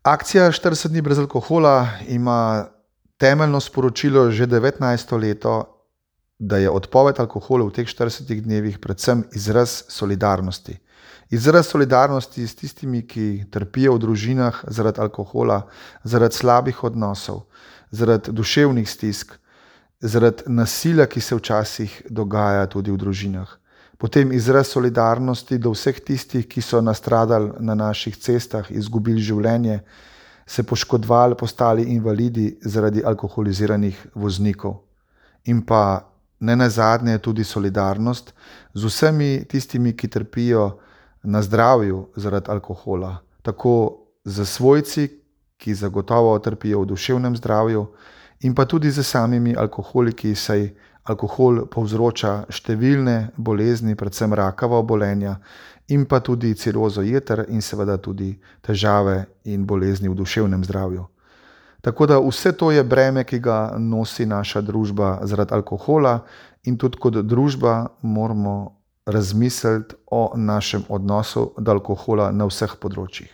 Akcija 40 dni brez alkohola ima temeljno sporočilo že 19. leto, da je odpoved alkohola v teh 40 dnevih predvsem izraz solidarnosti. Izraz solidarnosti s tistimi, ki trpijo v družinah zaradi alkohola, zaradi slabih odnosov, zaradi duševnih stisk, zaradi nasilja, ki se včasih dogaja tudi v družinah. Potem izraz solidarnosti do vseh tistih, ki so nastradali na naših cestah, izgubili življenje, se poškodovali, postali invalidi zaradi alkoholiziranih voznikov. In pa nenazadnje tudi solidarnost z vsemi tistimi, ki trpijo na zdravju zaradi alkohola. Tako z svojci, ki zagotovo trpijo v duševnem zdravju, in pa tudi z samimi alkoholiki, saj alkohol povzroča številne bolezni, predvsem rakava obolenja, in pa tudi cirozo jeter in seveda tudi težave in bolezni v duševnem zdravju. Tako da vse to je breme, ki ga nosi naša družba zaradi alkohola, in tudi kot družba moramo razmisliti o našem odnosu do alkohola na vseh področjih.